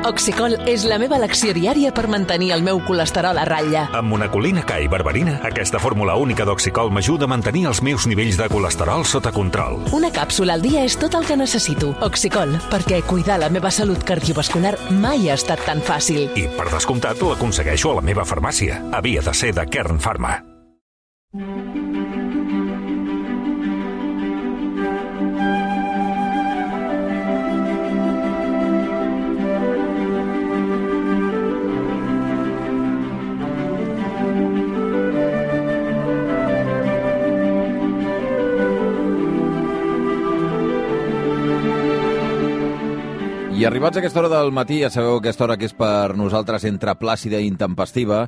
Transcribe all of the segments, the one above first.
Oxicol és la meva elecció diària per mantenir el meu colesterol a ratlla. Amb monacolina K i berberina, aquesta fórmula única d'Oxicol m'ajuda a mantenir els meus nivells de colesterol sota control. Una càpsula al dia és tot el que necessito. Oxicol, perquè cuidar la meva salut cardiovascular mai ha estat tan fàcil. I, per descomptat, l'aconsegueixo a la meva farmàcia. Havia de ser de Kern Pharma. I arribats a aquesta hora del matí, ja sabeu aquesta hora que és per nosaltres entre plàcida i intempestiva,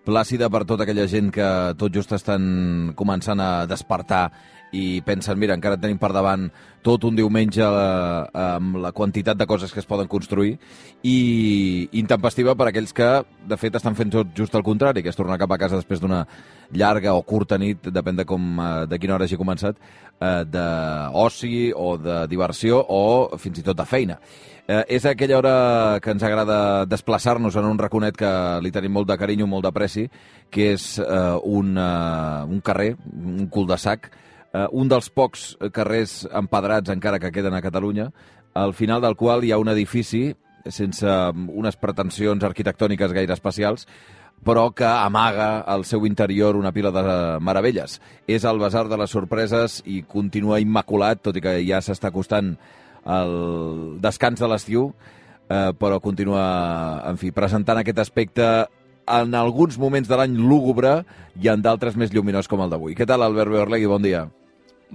plàcida per tota aquella gent que tot just estan començant a despertar i pensen, mira, encara tenim per davant tot un diumenge amb la quantitat de coses que es poden construir, i intempestiva per aquells que, de fet, estan fent tot just el contrari, que és tornar cap a casa després d'una llarga o curta nit, depèn de quina hora hagi començat, d'oci o de diversió o fins i tot de feina. És aquella hora que ens agrada desplaçar-nos en un raconet que li tenim molt de carinyo, molt d'apreci, que és un carrer, un cul-de-sac, un dels pocs carrers empedrats encara que queden a Catalunya, al final del qual hi ha un edifici sense unes pretensions arquitectòniques gaire especials, però que amaga al seu interior una pila de meravelles. És el Basar de les Sorpreses i continua immaculat, tot i que ja s'està acostant el descans de l'estiu, però continua, en fi, presentant aquest aspecte en alguns moments de l'any lúgubre i en d'altres més lluminós com el d'avui. Què tal, Albert Beorlegui? Bon dia.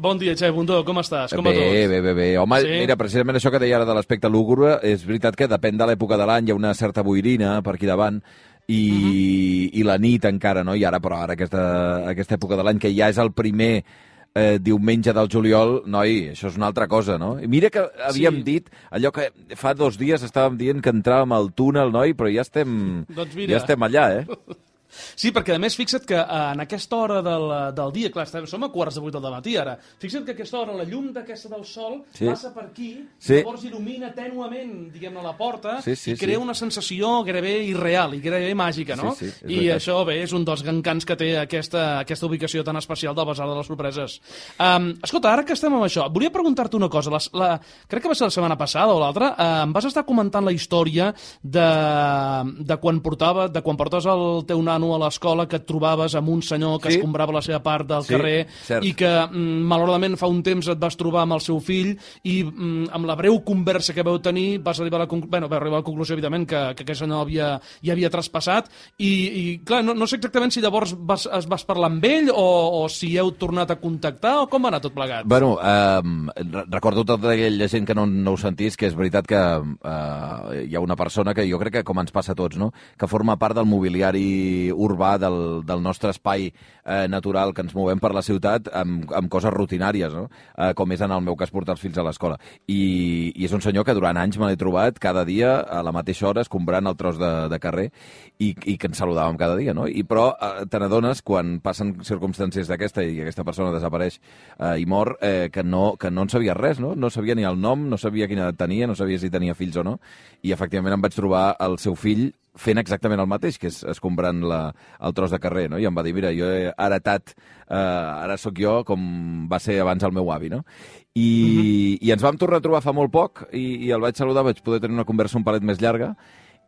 Bon dia, Xavi Bundó, com estàs? Com va tot? Bé. Home, sí? Mira, precisament això que deia ara de l'aspecte lúgubre, és veritat que depèn de l'època de l'any, hi ha una certa boirina per aquí davant, i la nit encara, no? I ara, però ara aquesta època de l'any, que ja és el primer diumenge del juliol, noi, això és una altra cosa, no? I mira que havíem dit, allò que fa 2 dies estàvem dient que entràvem al túnel, noi, però ja estem, ja estem allà, Sí, perquè a més fixa't que en aquesta hora del dia, clar, som a 7:45 del matí ara, fixa't que aquesta hora la llum d'aquesta del sol passa per aquí, llavors il·lumina tènuement, diguem-ne, la porta, i crea una sensació gairebé irreal i gairebé màgica, no? I això, bé, és un dels encants que té aquesta ubicació tan especial del Basar de les Sorpreses. Escolta, ara que estem amb això, volia preguntar-te una cosa. Crec que va ser la setmana passada o l'altra, em vas estar comentant la història de quan portaves el teu nano a l'escola, que et trobaves amb un senyor que escombrava la seva part del carrer, i que malauradament fa un temps et vas trobar amb el seu fill i amb la breu conversa que vau tenir vas arribar a la conclusió, evidentment, que aquell senyor ja havia traspassat i clar, no sé exactament si llavors es vas parlar amb ell o si heu tornat a contactar o com va anar tot plegat. Bueno, recordo tota aquella gent que no ho sentís, que és veritat que hi ha una persona que jo crec que, com ens passa a tots, no?, que forma part del mobiliari urbà del nostre espai natural, que ens movem per la ciutat amb coses rutinàries, no? Com és en el meu cas portar els fills a l'escola. I és un senyor que durant anys me l'he trobat cada dia a la mateixa hora escombrant el tros de carrer i que ens saludàvem cada dia, no? Però te n'adones, quan passen circumstàncies d'aquesta i aquesta persona desapareix i mor, que no en sabia res, no? No sabia ni el nom, no sabia quina edat tenia, no sabia si tenia fills o no, i efectivament em vaig trobar el seu fill fent exactament el mateix, que és escombrant el tros de carrer, no? I em va dir, mira, jo he heretat, ara sóc jo com va ser abans el meu avi, no? I ens vam tornar a trobar fa molt poc, i el vaig saludar, vaig poder tenir una conversa un palet més llarga,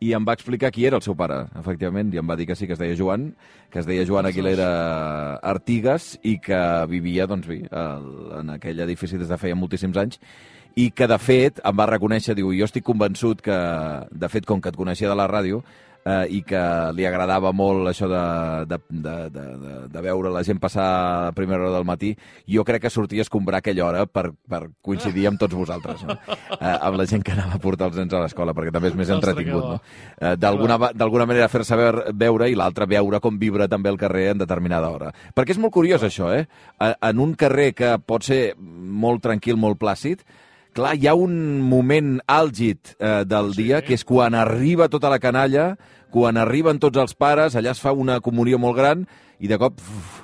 i em va explicar qui era el seu pare, efectivament, i em va dir que sí, que es deia Joan, Aguilera Artigas, i que vivia, doncs bé, en aquell edifici des de feia moltíssims anys, i que, de fet, em va reconèixer, diu, jo estic convençut que, de fet, com que et coneixia de la ràdio, i que li agradava molt això de veure la gent passar a primera hora del matí, jo crec que sortia a escombrar aquella hora per coincidir amb tots vosaltres, no? Amb la gent que anava a portar els nens a l'escola, perquè també és més entretingut, no? D'alguna manera fer-se veure, i l'altra veure com vibra també el carrer en determinada hora. Perquè és molt curiós això, en un carrer que pot ser molt tranquil, molt plàcid, clar, hi ha un moment àlgid del dia, que és quan arriba tota la canalla, Quan arriben tots els pares, allà es fa una comunió molt gran i de cop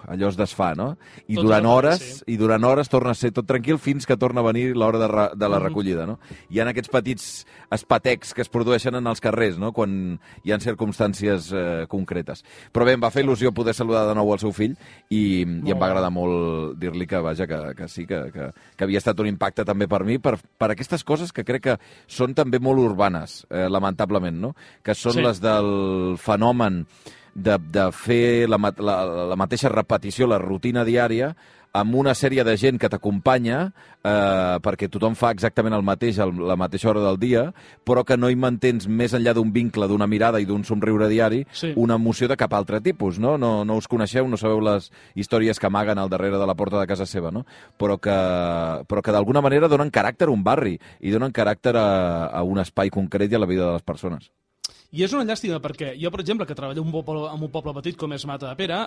allò es desfà, no? I durant hores torna a ser tot tranquil fins que torna a venir l'hora de la recollida, no? Hi ha aquests petits espatecs que es produeixen en els carrers, no?, quan hi ha circumstàncies concretes. Però bé, em va fer il·lusió poder saludar de nou el seu fill i em va agradar molt dir-li que, vaja, que sí, que havia estat un impacte també per mi, per aquestes coses que crec que són també molt urbanes, lamentablement, no?, que són les del fenomen de fer la mateixa repetició, la rutina diària, amb una sèrie de gent que t'acompanya perquè tothom fa exactament el mateix a la mateixa hora del dia, però que no hi mantens més enllà d'un vincle, d'una mirada i d'un somriure diari, una emoció de cap altre tipus, no? No us coneixeu, no sabeu les històries que amaguen al darrere de la porta de casa seva, no? Però que d'alguna manera donen caràcter a un barri i donen caràcter a un espai concret i a la vida de les persones. I és una llàstima perquè jo, per exemple, que treballo en un poble petit com és Matadepera,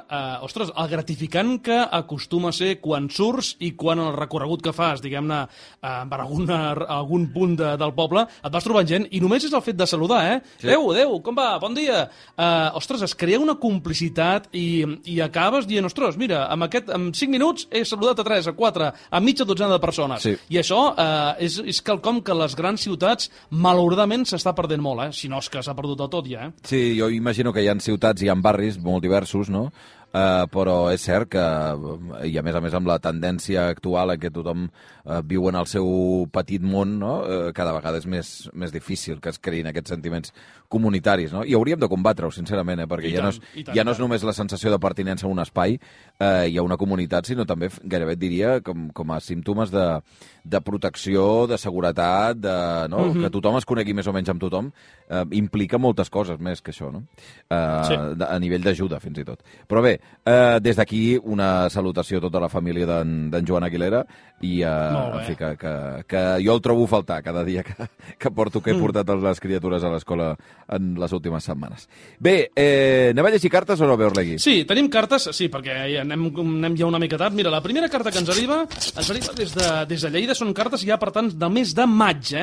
ostres, el gratificant que acostuma a ser quan surts i quan el recorregut que fas, diguem-ne, per algun punt del poble, et vas trobant gent i només és el fet de saludar, Sí. Adéu, com va? Bon dia! Ostres, es crea una complicitat i acabes dient, ostres, mira, en 5 minuts he saludat a 3, a 4, a mitja dotzena de persones. Sí. I això és quelcom que les grans ciutats, malauradament, s'està perdent molt, si no és que s'ha perdut del tot ja, Sí, jo imagino que hi ha ciutats i hi ha barris molt diversos, no? Però és cert que, i a més amb la tendència actual en què tothom viu en el seu petit món, no? Cada vegada és més difícil que es creïn aquests sentiments comunitaris, no? I hauríem de combatre-ho, sincerament, perquè ja no és només la sensació de pertinença a un espai i a una comunitat, sinó també, gairebé et diria, com a símptomes de protecció, de seguretat, que tothom es conegui més o menys amb tothom, implica moltes coses més que això, no? A nivell d'ajuda, fins i tot. Però bé, des d'aquí una salutació a tota la família d'en Joan Aguilera i en fi, que jo el trobo a faltar cada dia que he portat les criatures a l'escola en les últimes setmanes. Bé, anem a llegir cartes o no, Beorlegui? Sí, tenim cartes, sí, perquè anem ja una mica tard. Mira, la primera carta que ens arriba des de Lleida, són cartes ja, per tant, del mes de maig,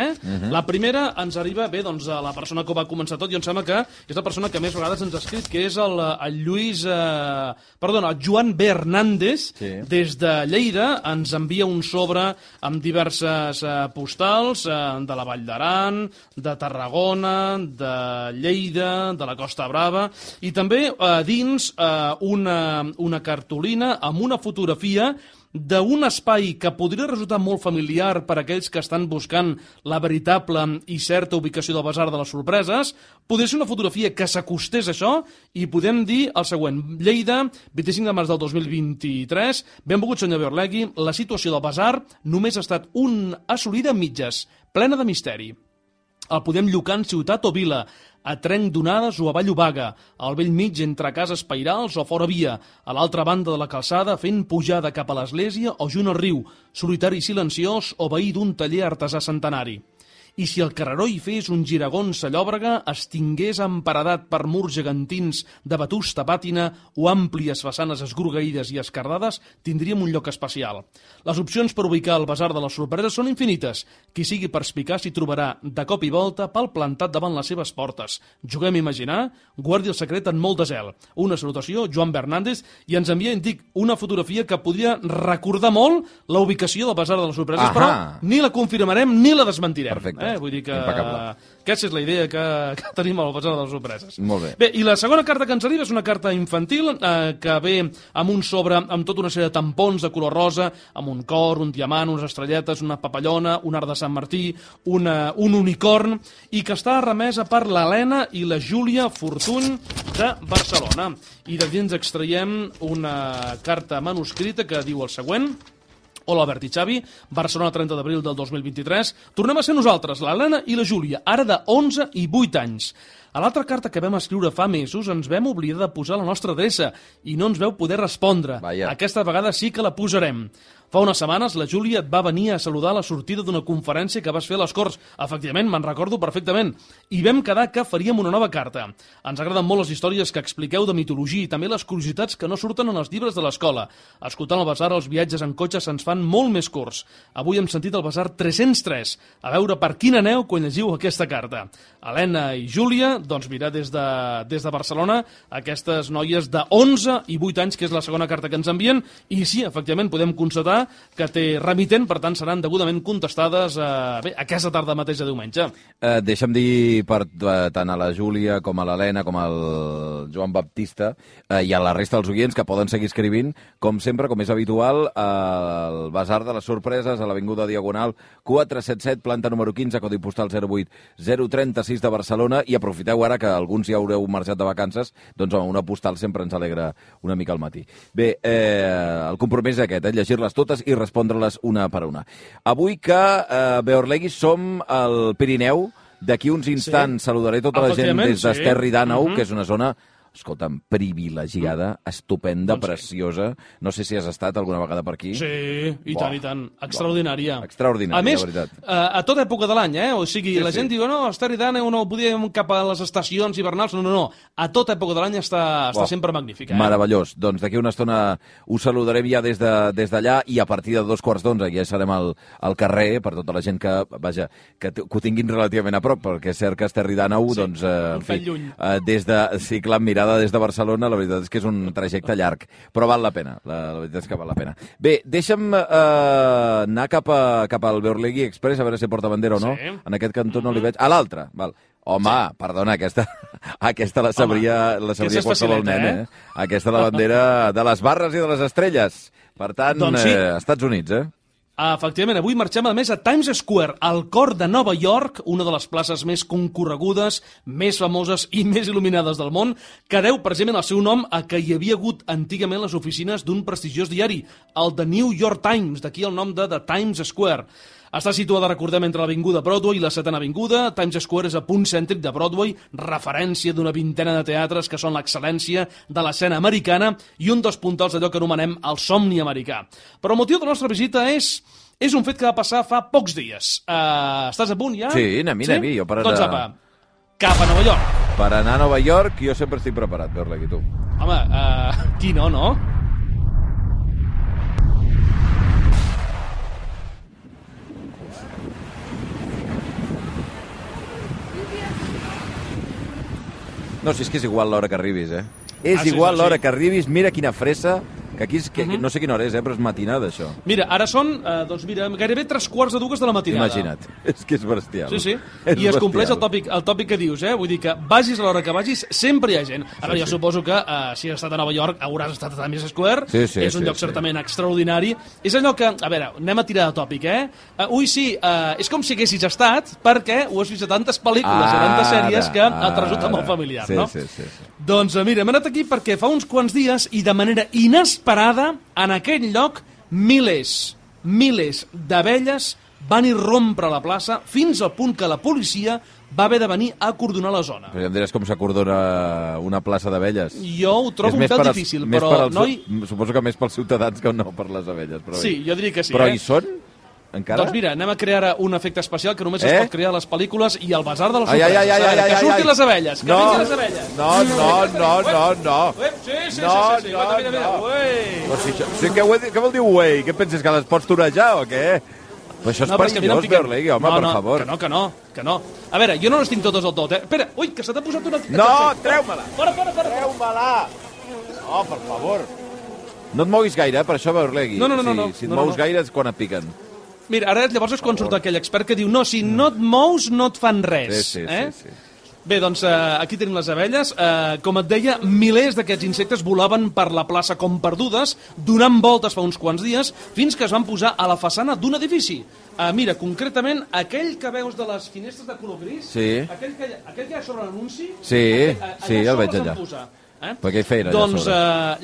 La primera ens arriba, bé, doncs, a la persona que ho va començar tot, i em sembla que és la persona que més vegades ens ha escrit, que és el Joan B. Hernández, des de Lleida, ens envia un sobre amb diverses postals de la Vall d'Aran, de Tarragona, de Lleida, de la Costa Brava, i també dins una cartolina amb una fotografia d'un espai que podria resultar molt familiar per a aquells que estan buscant la veritable i certa ubicació del Basar de les Sorpreses. Podria ser una fotografia que s'acostés a això i podem dir el següent. Lleida, 25 de març del 2023. Benvolgut, senyor Beorlegui. La situació del Basar només ha estat assolida a mitges, plena de misteri. El podem llocar en ciutat o vila, a Trenc d'Onades o a Vallobaga, al vell mig entre cases pairals o fora via, a l'altra banda de la calçada fent pujada cap a l'església o junt al riu, solitari i silenciós o veí d'un taller artesà centenari. I si el carreró hi fes un giragon Sallòbrega, es tingués emparedat per murs gegantins de vetusta pàtina o àmplies façanes esgrogueïdes i escardades, tindríem un lloc especial. Les opcions per ubicar el Basar de les Sorpreses són infinites. Qui sigui perspicaç s'hi trobarà de cop i volta pal plantat davant les seves portes. Juguem a imaginar, guardi el secret en molt de zel. Una salutació, Joan Bernández, i ens envia, una fotografia que podria recordar molt la ubicació del Basar de les Sorpreses, però ni la confirmarem ni la desmentirem. Perfecte. Vull dir que aquesta és la idea que tenim al Basar de les Sorpreses. Molt bé. Bé, i la segona carta que ens arriba és una carta infantil que ve amb un sobre amb tota una sèrie de tampons de color rosa, amb un cor, un diamant, unes estrelletes, una papallona, un arc de Sant Martí, un unicorn, i que està remesa per l'Helena i la Júlia Fortuny de Barcelona. I de dins extraiem una carta manuscrita que diu el següent. Hola, Albert i Xavi, Barcelona, 30 d'abril del 2023. Tornem a ser nosaltres, l'Helena i la Júlia, ara de 11 i 8 anys. A l'altra carta que vam escriure fa mesos ens vam oblidar de posar la nostra adreça i no ens veu poder respondre. Vaja. Aquesta vegada sí que la posarem. Fa unes setmanes la Júlia et va venir a saludar a la sortida d'una conferència que vas fer a les Corts. Efectivament, me'n recordo perfectament. I vam quedar que faríem una nova carta. Ens agraden molt les històries que expliqueu de mitologia i també les curiositats que no surten en els llibres de l'escola. Escoltant el Basar, els viatges en cotxe se'ns fan molt més curts. Avui hem sentit el Basar 303. A veure per quin aneu quan llegiu aquesta carta. Helena i Júlia, doncs mira, des de Barcelona, aquestes noies de 11 i 8 anys, que és la segona carta que ens envien, i sí, efectivament, podem constatar que té remitent, per tant, seran degudament contestades aquesta tarda mateix de diumenge. Deixa'm dir tant a la Júlia com a l'Helena com al Joan Baptista i a la resta dels oients que poden seguir escrivint, com sempre, com és habitual, al Basar de les Sorpreses, a l'Avinguda Diagonal 477, planta número 15, codi postal 08036 de Barcelona, i aprofiteu ara que alguns ja haureu marxat de vacances, doncs una postal sempre ens alegra una mica al matí. Bé, el compromís és aquest, llegir-les totes i respondre-les una per una. Avui que Beorlegui som al Pirineu, d'aquí uns instants saludaré tota la gent des d'Esterri d'Àneu, que és una zona, escolta'm, privilegiada, estupenda, preciosa. No sé si has estat alguna vegada per aquí. Sí, i tant, i tant. Extraordinària. Extraordinària, a més, de veritat. A tota època de l'any, O sigui, la gent diu, no, Esterri d'Àneu no podíem cap a les estacions hivernals. No. A tota època de l'any està sempre magnífica. Meravellós. Doncs d'aquí una estona us saludarem ja des d'allà i a partir de 2:15 ja serem al carrer per tota la gent que ho tinguin relativament a prop, perquè és cert que Esterri d'Àneu, doncs, en fi, sí, clar, mirada des de Barcelona, la veritat és que és un trajecte llarg, però val la pena, la veritat és que val la pena. Bé, deixa'm anar cap al Beorlegui Express, a veure si porta bandera o no. En aquest cantó no li veig. A l'altre, val. Home, perdona, aquesta la sabria qualsevol nen, Aquesta la bandera de les barres i de les estrelles. Per tant, Estats Units, Efectivament, avui marxem a més a Times Square, al cor de Nova York, una de les places més concorregudes, més famoses i més il·luminades del món, que deu precisament el seu nom a que hi havia hagut antigament les oficines d'un prestigiós diari, el The New York Times, d'aquí el nom de The Times Square. Està situada, recordem, entre l'Avinguda Broadway i la 7ª Avinguda. Times Square és a punt cèntric de Broadway, referència d'una vintena de teatres que són l'excel·lència de l'escena americana i un dels puntals d'allò que anomenem el somni americà. Però el motiu de la nostra visita és un fet que va passar fa pocs dies. Estàs a punt ja? Sí, anem-hi. Jo per doncs apa, cap a Nova York. Per anar a Nova York jo sempre estic preparat, Beorlegui, tu. Home, qui no? No, si és que és igual l'hora que arribis, És igual l'hora que arribis, mira quina fressa, que aquí no sé quina hora és, però és matinada, això. Mira, ara són, gairebé 3:15 de la matinada. Imagina't, és que és bestial. Sí. I es compleix el tòpic que dius, Vull dir que vagis a l'hora que vagis, sempre hi ha gent. A veure, jo suposo que si has estat a Nova York hauràs estat a Times Square. Sí, és un lloc certament extraordinari. És allò que, a veure, anem a tirar de tòpic, Ui, sí, és com si haguessis estat, perquè ho has vist a tantes pel·lícules i a tantes sèries que et resulta molt familiar, no? Sí. Doncs mira, hem anat aquí perquè fa uns quants dies i de manera inesperada en aquell lloc milers d'abelles van irrompre la plaça fins al punt que la policia va haver de venir a acordonar la zona. Però ja em diràs com s'acordona una plaça d'abelles. Jo ho trobo un pèl difícil, però... Suposo que més pels ciutadans que no per les abelles. Però sí, jo diria que sí. Però hi són? Encara? Doncs mira, anem a crear ara un efecte especial que només es pot crear a les pel·lícules i al Basar de les Sorpreses. Que surtin les abelles, que vinguin les abelles. No. Sí. Sí, què vol dir uei? Què penses, que les pots torejar o què? Però això és perillós, Beorlegui, home, per favor. Que no. A veure, jo no les tinc totes al tot, Espera, ui, que se t'ha posat una... No, treu-me-la! Fora. Treu-me-la! No, per favor. No et moguis gaire, per això, Beorlegui. No. Si et mous gaire és quan et piquen. Mira, ara llavors és quan surt aquell expert que diu no, si no et mous no et fan res. Sí. Bé, doncs aquí tenim les abelles. Com et deia, milers d'aquests insectes volaven per la plaça com perdudes, donant voltes fa uns quants dies, fins que es van posar a la façana d'un edifici. Mira, concretament, aquell que veus de les finestres de color gris, aquell que hi ha sobre l'anunci, sí, el veig allà. Per què hi feien allà sobre? Doncs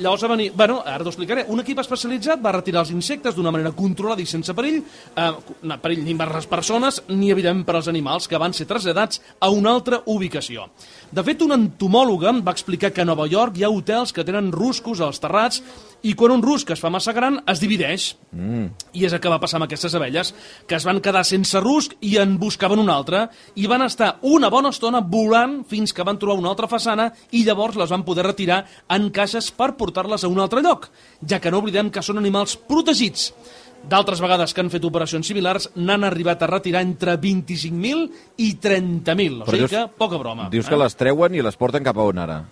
llavors va venir... Bueno, ara t'ho explicaré. Un equip especialitzat va retirar els insectes d'una manera controlada i sense perill, perill ni per les persones ni, evidentment, per als animals, que van ser traslladats a una altra ubicació. De fet, una entomòloga va explicar que a Nova York hi ha hotels que tenen ruscos als terrats i quan un rusc es fa massa gran es divideix. I és el que va passar amb aquestes abelles, que es van quedar sense rusc i en buscaven un altre, i van estar una bona estona volant fins que van trobar una altra façana i llavors les van poder retirar en caixes per portar-les a un altre lloc, ja que no oblidem que són animals protegits. d'altres vegades que han fet operacions similars n'han arribat a retirar entre 25.000 i 30.000. O sigui que poca broma. Dius que les treuen i les porten cap a on ara?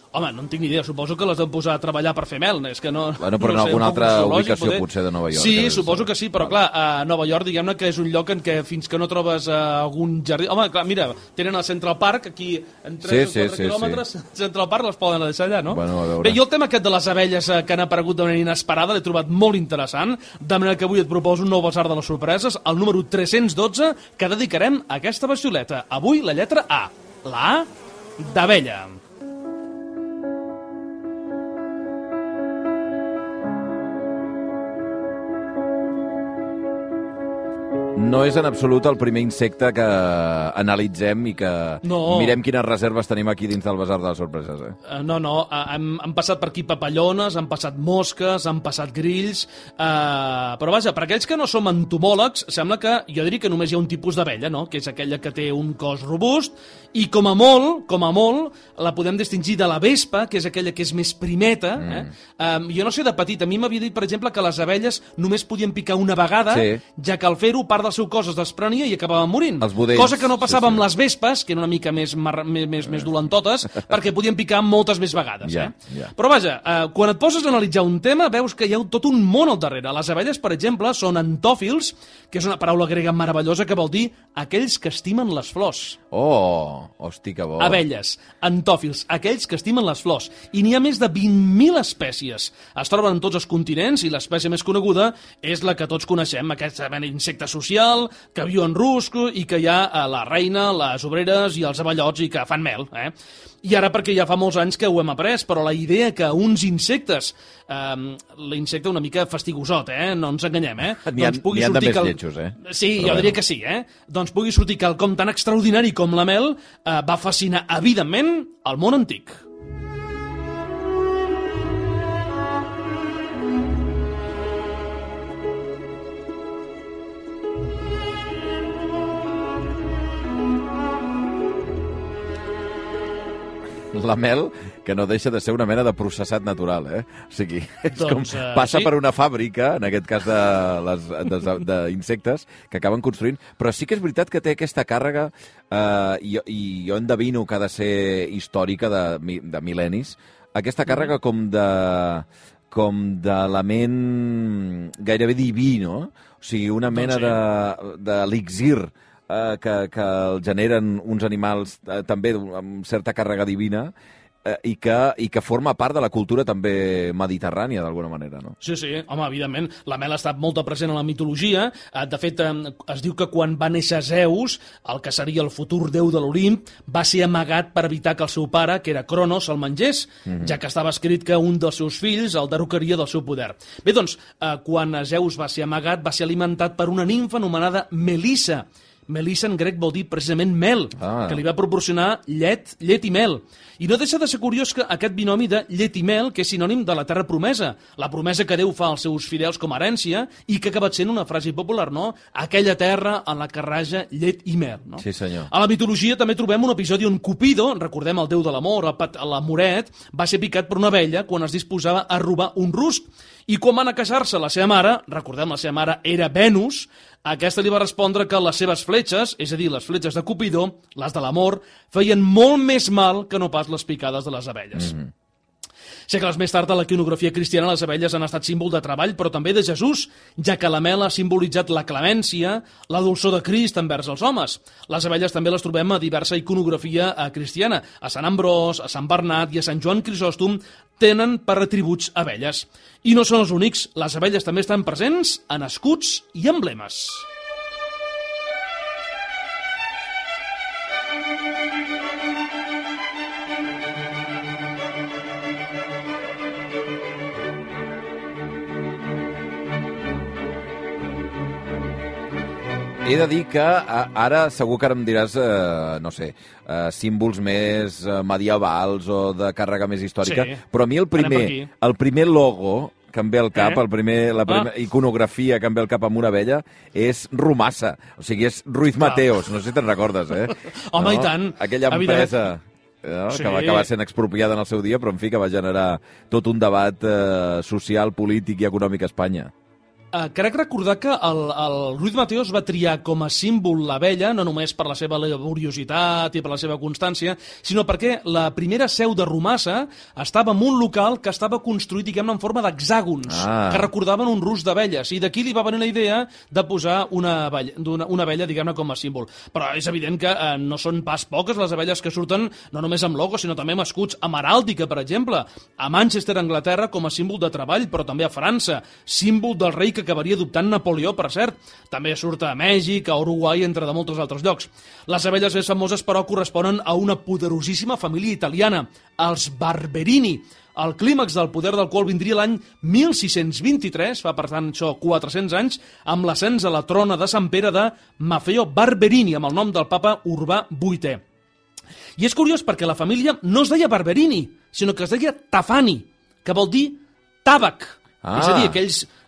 Home, no en tinc ni idea. Suposo que les han posat a treballar per fer mel. És que no, bueno, però en alguna altra ubicació, potser, de Nova York. Sí, suposo que sí, però clar, a Nova York, diguem-ne que és un lloc en què fins que no trobes algun jardí... Home, clar, mira, tenen el Central Park, aquí en 3 o 4 quilòmetres, Central Park les poden deixar allà, no? Bueno, bé, jo el tema aquest de les abelles que han aparegut de manera inesperada l'he trobat molt interessant, de manera que avui et proposo un nou basar de les sorpreses, el número 312, que dedicarem a aquesta bestioleta. Avui la lletra A, la A d'abella. No és en absolut el primer insecte que analitzem i que mirem quines reserves tenim aquí dins del basar de les sorpreses. No, han passat per aquí papallones, han passat mosques, han passat grills, però vaja, per aquells que no som entomòlegs, sembla que jo diria que només hi ha un tipus d'abella, no? Que és aquella que té un cos robust, i com a molt, la podem distingir de la vespa, que és aquella que és més primeta. Jo no sé, de petit, a mi m'havia dit, per exemple, que les abelles només podien picar una vegada, ja que al fer-ho part del seu cos es desprenia i acabaven morint. Cosa que no passava amb les vespes, que eren una mica més dolentotes, perquè podien picar moltes més vegades. Però vaja, quan et poses a analitzar un tema, veus que hi ha tot un món al darrere. Les abelles, per exemple, són antòfils, que és una paraula grega meravellosa que vol dir aquells que estimen les flors. Oh, hosti, que bo. Abelles, antòfils, aquells que estimen les flors. I n'hi ha més de 20.000 espècies. Es troben en tots els continents i l'espècie més coneguda és la que tots coneixem, aquest insecte social, que viu en rusc i que hi ha la reina, les obreres i els aballots i que fan mel. I ara perquè ja fa molts anys que ho hem après, però la idea que uns insectes, l'insecte una mica fastigosot, no ens enganyem, N'hi ha de més lletjos, Sí, jo diria que sí, doncs pugui sortir quelcom tan extraordinari com la mel, va fascinar evidentment el món antic. La mel, que no deixa de ser una mena de processat natural, O sigui, és com passa per una fàbrica, en aquest cas d'insectes, que acaben construint, però sí que és veritat que té aquesta càrrega, i jo endevino que ha de ser històrica de mil·lennis, aquesta càrrega com d'element gairebé diví, no? O sigui, una mena d'elixir que el generen uns animals també amb certa càrrega divina i que forma part de la cultura també mediterrània, d'alguna manera, no? Sí, home, evidentment. La mel ha estat molt present en la mitologia. De fet, es diu que quan va néixer Zeus, el que seria el futur déu de l'Olimp, va ser amagat per evitar que el seu pare, que era Cronos, el mengés, ja que estava escrit que un dels seus fills el derrocaria del seu poder. Bé, doncs, quan Zeus va ser amagat, va ser alimentat per una nimfa anomenada Melissa. Melissa en grec vol dir precisament mel, que li va proporcionar llet i mel. I no deixa de ser curiós que aquest binomi de llet i mel, que és sinònim de la terra promesa, la promesa que Déu fa als seus fidels com a herència i que ha acabat sent una frase popular, no? Aquella terra en la que raja llet i mel, no? Sí, senyor. A la mitologia també trobem un episodi on Cupido, recordem el déu de l'amor, l'amoret, va ser picat per una abella quan es disposava a robar un rusc. I quan van a casar-se la seva mare, recordem, la seva mare era Venus, aquesta li va respondre que les seves fletxes, és a dir, les fletxes de Cupido, les de l'amor, feien molt més mal que no pas les picades de les abelles. Segles més tard, a la iconografia cristiana, les abelles han estat símbol de treball, però també de Jesús, ja que la mel ha simbolitzat la clemència, la dolçor de Crist envers els homes. Les abelles també les trobem a diversa iconografia cristiana. A Sant Ambròs, a Sant Bernat i a Sant Joan Crisòstom tenen per atributs abelles. I no són els únics, les abelles també estan presents en escuts i emblemes. He de dir que ara segur que ara em diràs, no sé, símbols més medievals o de càrrega més històrica, però a mi el primer logo que em ve al cap, la primera iconografia que em ve al cap amb una abella, és Rumassa. O sigui, és Ruiz Mateos, no sé si te'n recordes, Home, i tant. Aquella empresa que va acabar sent expropiada en el seu dia, però en fi, que va generar tot un debat social, polític i econòmic a Espanya. Crec recordar que el Ruiz Mateos va triar com a símbol l'abella, no només per la seva laboriositat i per la seva constància, sinó perquè la primera seu de Romassa estava en un local que estava construït, diguem-ne, en forma d'hexàgons, que recordaven un rusc d'abelles, i d'aquí li va venir la idea de posar una abella, diguem-ne, com a símbol. Però és evident que no són pas poques les abelles que surten, no només amb logos, sinó també amb escuts, amb heràldica, per exemple, a Manchester, Anglaterra, com a símbol de treball, però també a França, símbol del rei que acabaria adoptant Napoleó, per cert. També surt a Mèxic, a Uruguai, entre de molts altres llocs. Les abelles més famoses, però, corresponen a una poderosíssima família italiana, els Barberini. El clímax del poder del qual vindria l'any 1623, fa per tant això 400 anys, amb l'ascens a la trona de Sant Pere de Maffeo Barberini, amb el nom del papa Urbà VIII. I és curiós perquè la família no es deia Barberini, sinó que es deia Tafani, que vol dir tàbac. És a dir,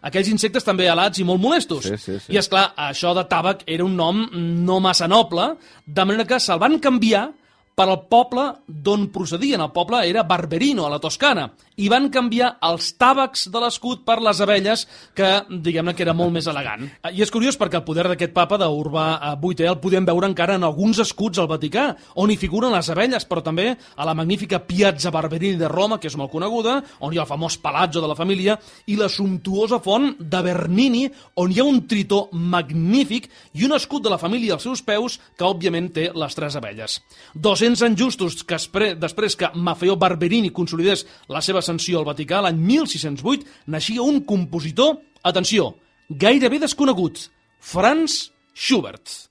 aquells insectes també alats i molt molestos. Sí. I, esclar, això de tàbac era un nom no massa noble, de manera que se'l van canviar per al poble d'on procedien. El poble era Barberino, a la Toscana, i van canviar els tàbacs de l'escut per les abelles, que, diguem-ne, que era molt més elegant. I és curiós perquè el poder d'aquest papa, d'Urbà VIII, el podem veure encara en alguns escuts al Vaticà, on hi figuren les abelles, però també a la magnífica Piazza Barberini de Roma, que és molt coneguda, on hi ha el famós palazzo de la família, i la sumptuosa font de Bernini, on hi ha un tritó magnífic i un escut de la família als seus peus, que òbviament té les 3 abelles. 200 anys justos que després que Maffeo Barberini consolidés la seva ascensió al Vaticà, l'any 1608, naixia un compositor, atenció, gairebé desconegut, Franz Schubert.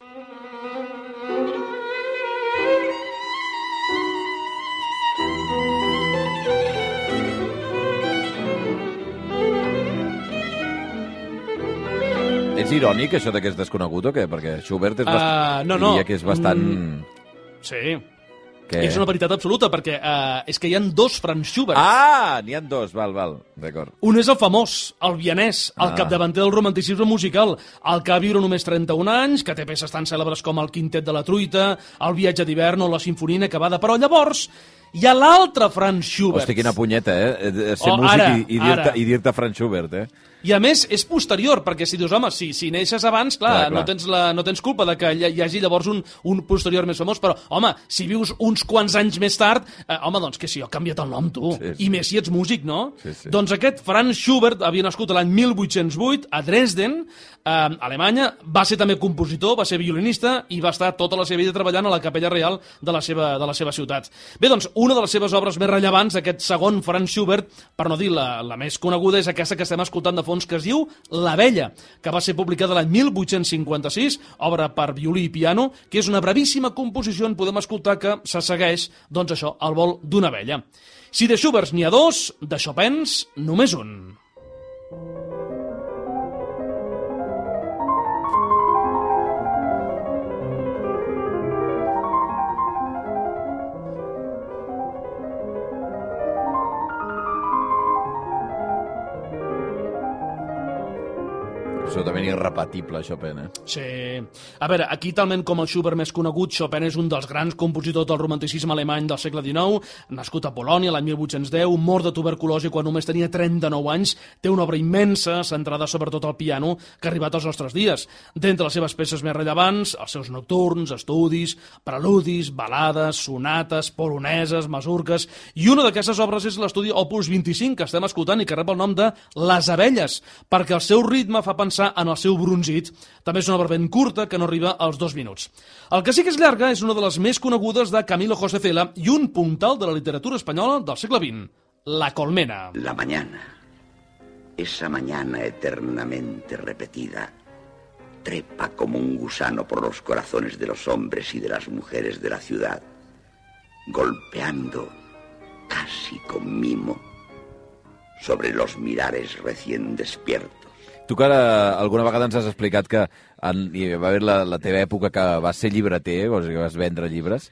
És irònic, això de que és desconegut, o què? Perquè Schubert diria que és bastant... Sí. És una veritat absoluta, perquè és que hi ha 2 Franz Schubert. N'hi ha 2, val, d'acord. Un és el famós, el vienès, el capdavanter del romanticisme musical, el que va viure només 31 anys, que té peces tan cèlebres com el Quintet de la Truita, el Viatge d'hivern o la Sinfonia inacabada, però llavors hi ha l'altre Franz Schubert. Hosti, quina punyeta, ser músic i dir-te Franz Schubert, I a més, és posterior, perquè si dius, home, si neixes abans, clar. No tens culpa de que hi hagi llavors un posterior més famós, però, home, si vius uns quants anys més tard, doncs que sí, ha canviat el nom, tu. Sí. I més si ets músic, no? Sí. Doncs aquest Franz Schubert havia nascut l'any 1808 a Dresden, Alemanya, va ser també compositor, va ser violinista i va estar tota la seva vida treballant a la capella reial de la seva ciutat. Bé, doncs, una de les seves obres més rellevants, aquest segon Franz Schubert, per no dir la més coneguda, és aquesta que estem escoltant de fons, que es diu L'Abella, que va ser publicada l'any 1856, obra per violí i piano, que és una brevíssima composició on podem escoltar que se segueix, doncs això, al vol d'una abella. Si de Schuberts n'hi ha 2, de Chopins només un. Absolutament irrepetible, Chopin, Sí. A veure, aquí, talment com el Schubert més conegut, Chopin és un dels grans compositors del romanticisme alemany del segle XIX, nascut a Polònia l'any 1810, mort de tuberculosi quan només tenia 39 anys, té una obra immensa, centrada sobretot al piano, que ha arribat als nostres dies. D'entre les seves peces més rellevants, els seus nocturns, estudis, preludis, balades, sonates, poloneses, masurques, i una d'aquestes obres és l'estudi Opus 25, que estem escoltant i que rep el nom de Les Abelles, perquè el seu ritme fa pensar en el seu brunzit. També és una obra ben curta que no arriba als 2 minuts. El que sí que és llarga és una de les més conegudes de Camilo José Cela i un puntal de la literatura espanyola del segle XX, La Colmena. La mañana, esa mañana eternamente repetida, trepa como un gusano por los corazones de los hombres y de las mujeres de la ciudad, golpeando, casi con mimo, sobre los mirares recién despiertos. Tu que alguna vegada ens has explicat que hi va haver la teva època que vas ser llibreter, o sigui, que vas vendre llibres,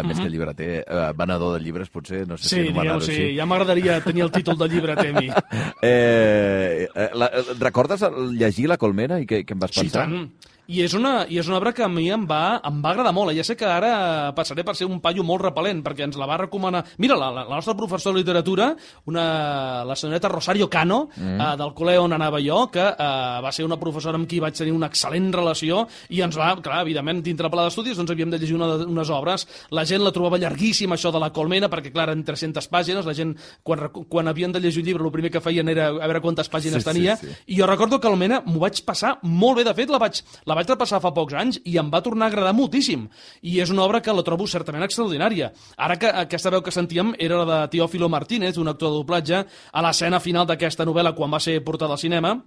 més que llibreter, venedor de llibres, potser, no sé si anomenar-ho així. Sí, ja m'agradaria tenir el títol de llibreter a mi. Recordes llegir La Colmena i què en vas pensar? Sí, tant. I és una obra que a mi em va agradar molt. Ja sé que ara passaré per ser un paio molt repel·lent, perquè ens la va recomanar... Mira, la nostra professora de literatura, la senyoreta Rosario Cano, del col·le on anava jo, que va ser una professora amb qui vaig tenir una excel·lent relació, i ens va, clar, evidentment, dintre el pla d'estudis, doncs havíem de llegir unes obres. La gent la trobava llarguíssima, això de La Colmena, perquè, clar, eren 300 pàgines. La gent, quan havien de llegir un llibre, el primer que feien era a veure quantes pàgines tenia. Sí. I jo recordo que Colmena m'ho vaig passar molt bé. De fet, la vaig repassar fa pocs anys i em va tornar a agradar moltíssim. I és una obra que la trobo certament extraordinària. Ara que aquesta veu que sentíem era la de Teófilo Martínez, un actor de doblatge, a l'escena final d'aquesta novel·la quan va ser portada al cinema,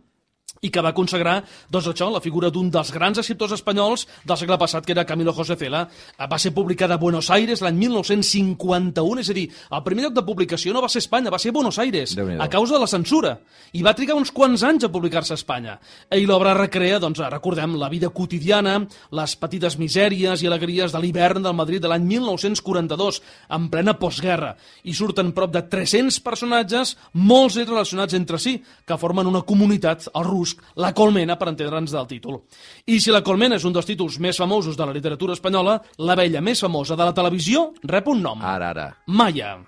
i que va consagrar, doncs això, la figura d'un dels grans escriptors espanyols del segle passat, que era Camilo José Cela. Va ser publicada a Buenos Aires l'any 1951, és a dir, el primer lloc de publicació no va ser Espanya, va ser Buenos Aires, a causa de la censura. I va trigar uns quants anys a publicar-se a Espanya. I l'obra recrea, doncs, recordem, la vida quotidiana, les petites misèries i alegries de l'hivern del Madrid de l'any 1942, en plena postguerra. I surten prop de 300 personatges, molts relacionats entre si, que formen una comunitat, el rus, La Colmena, per entendre'ns del títol. I si La Colmena és un dels títols més famosos de la literatura espanyola, la vella més famosa de la televisió rep un nom. Ara. Maya.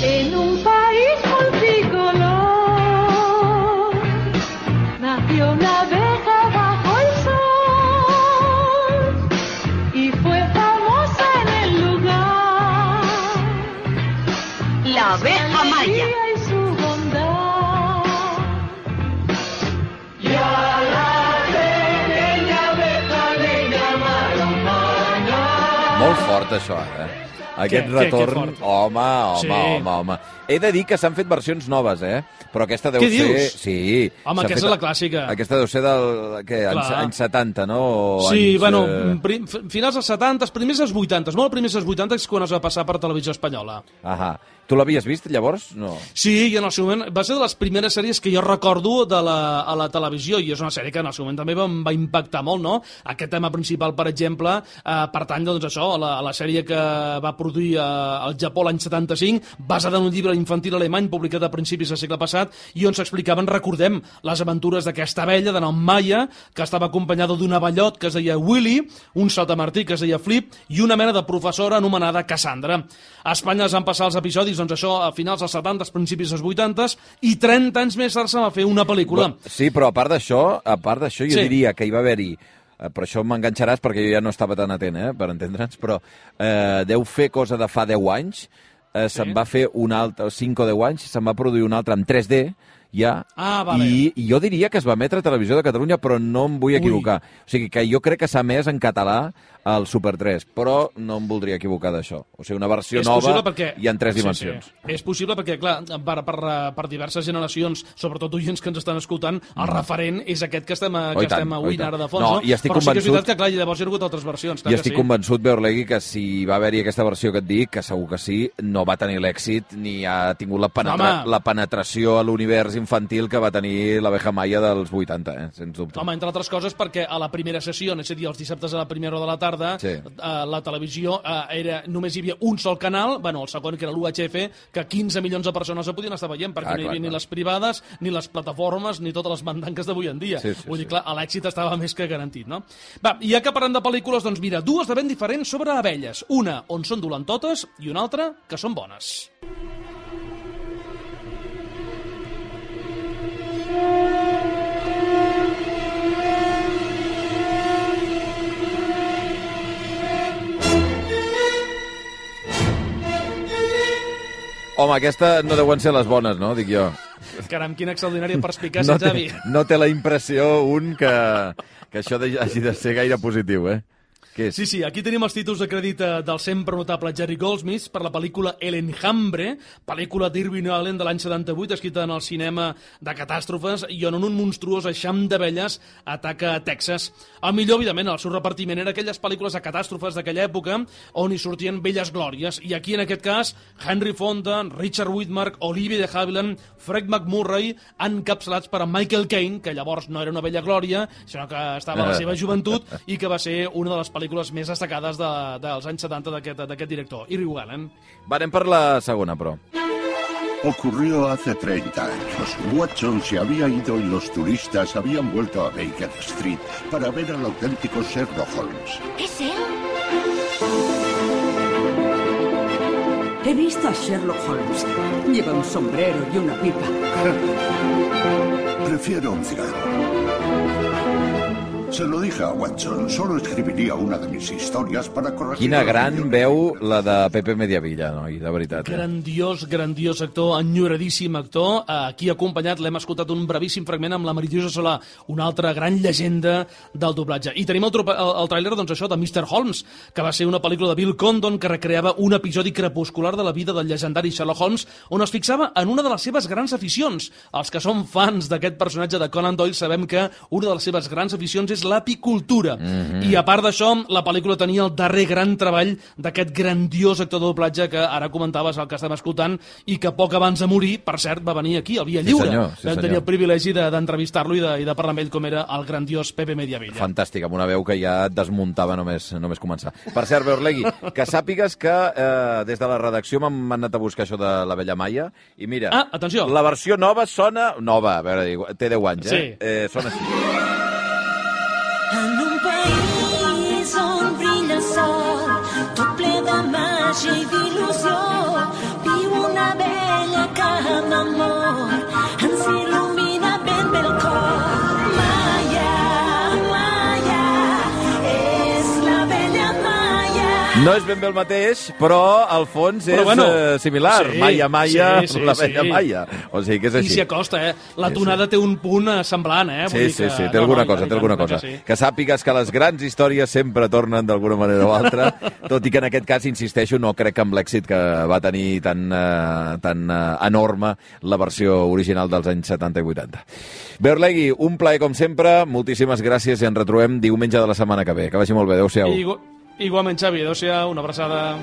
En un país multicolor nació una abeja bajo el sol y fue famosa en el lugar. La abeja Maya. Molt fort, això, Aquest retorn... Home. He de dir que s'han fet versions noves, Però aquesta deu ser... Què dius? Sí. Home, aquesta és la clàssica. Aquesta deu ser anys 70, no? Sí, finals dels 70, primers dels 80. Molt primers dels 80 és quan es va passar per Televisió Espanyola. Ahà. Tu l'havies vist, llavors? No. Sí, i en el seu moment va ser de les primeres sèries que jo recordo a la televisió, i és una sèrie que en el seu moment també em va impactar molt, no? Aquest tema principal, per exemple, pertany, doncs, això, a la sèrie que va produir al Japó l'any 75, basada en un llibre infantil alemany publicat a principis del segle passat, i on s'explicaven, recordem, les aventures d'aquesta abella de nom Maya, que estava acompanyada d'un abellot que es deia Willy, un saltamartí que es deia Flip, i una mena de professora anomenada Cassandra. A Espanya es van passar els episodis, doncs això, a finals dels 70, principis dels 80, i 30 anys més tard se va fer una pel·lícula. Sí, però a part d'això, jo diria que hi va haver-hi, per això m'enganxaràs perquè jo ja no estava tan atent, per entendre'ns, però deu fer cosa de fa 10 anys, se'n va fer un altre, 5 o 10 anys, se'n va produir un altre en 3D, ja, i jo diria que es va emetre a Televisió de Catalunya, però no em vull equivocar. O sigui, que jo crec que s'ha emès en català al Super 3, però no em voldria equivocar d'això. O sigui, una versió nova i en 3 dimensions. Sí. És possible perquè, clar, per diverses generacions, sobretot oients que ens estan escoltant, el referent és aquest que estem oint ara de fons, no? Però sí que és veritat que, clar, llavors hi ha hagut altres versions. I estic convençut, Beorlegui, que si va haver-hi aquesta versió que et dic, que segur que sí, no va tenir l'èxit ni ha tingut la penetració a l'univers infantil que va tenir l'abeja Maya dels 80, sens dubte. Home, entre altres coses perquè a la primera sessió, és a dir, els dissabtes a la primera hora de la tarda, la televisió només hi havia un sol canal, el segon, que era l'UHF, que 15 milions de persones no podien estar veient, perquè no hi havia ni les privades, ni les plataformes, ni totes les mandanques d'avui en dia. Vull dir, clar, l'èxit estava més que garantit, no? Va, i ja que parlem de pel·lícules, doncs mira, dues de ben diferents sobre abelles. Una on són dolentotes i una altra que són bones. Home, aquesta no deuen ser les bones, no? Dic jo. Caram, quina extraordinària perspicàcia, Xavi. No té la impressió que això hagi de ser gaire positiu, Què és? Sí, aquí tenim els títols de crèdit del sempre notable Jerry Goldsmith per la pel·lícula El Enjambre, pel·lícula d'Irving Allen de l'any 78, escrita en el cinema de catàstrofes i on un monstruós eixam d'abelles ataca a Texas. El millor, evidentment, el seu repartiment era aquelles pel·lícules de catàstrofes d'aquella època on hi sortien velles glòries. I aquí, en aquest cas, Henry Fonda, Richard Widmark, Olivia de Havilland, Fred McMurray, encapçalats per a Michael Caine, que llavors no era una vella glòria, sinó que estava a la seva joventut i que va ser una de les pel·lícules més destacades dels anys 70 d'aquest director, Irving Allen. Va, anem per la segona, però. Ocurrió hace 30 años. Watson se había ido y los turistas habían vuelto a Baker Street para ver al auténtico Sherlock Holmes. ¿Es él? He visto a Sherlock Holmes. Lleva un sombrero y una pipa. Prefiero un cigarro. Se lo dije a Watson, solo escribiria una de mis històries para corregir... Quina gran veu la de Pepe Mediavilla, noi, de veritat. Grandiós actor, enyoradíssim actor. Aquí acompanyat l'hem escoltat un brevíssim fragment amb la Meritxell Solà, una altra gran llegenda del doblatge. I tenim el tràiler, doncs això, de Mr. Holmes, que va ser una pel·lícula de Bill Condon que recreava un episodi crepuscular de la vida del llegendari Sherlock Holmes, on es fixava en una de les seves grans aficions. Els que som fans d'aquest personatge de Conan Doyle sabem que una de les seves grans aficions és l'apicultura. I a part d'això, la pel·lícula tenia el darrer gran treball d'aquest grandiós actor de doblatge que ara comentaves, el que estem escoltant, i que poc abans de morir, per cert, va venir aquí, al Via Lliure. Vam tenir el privilegi d'entrevistar-lo i de parlar amb ell com era el grandiós Pepe Mediavilla. Fantàstic, amb una veu que ja et desmuntava només començar. Per cert, Beorlegui, que sàpigues que des de la redacció m'han anat a buscar això de la Vella Maia, i mira, atenció, la versió nova sona... Nova, a veure, té 10 anys, sona així. En un país on brilla el sol, tot ple de màgia i d'il·lusió, viu una vella que amb amor ens il·lumina ben bé el cor. Maia, Maia, és la vella Maia. No és ben bé el mateix, però el fons és similar. Sí, Maia, la vella Maia. O sigui que és així. I s'hi acosta, La tonada té un punt semblant, Sí, té alguna cosa. Que sàpigues que les grans històries sempre tornen d'alguna manera o altra, tot i que en aquest cas, insisteixo, no crec que amb l'èxit que va tenir tan enorme la versió original dels anys 70 i 80. Beorlegui, un plaer com sempre, moltíssimes gràcies i ens retrobem diumenge de la setmana que ve. Que vagi molt bé, adéu-siau. Igualment, Xavi, adéu-siau, una abraçada.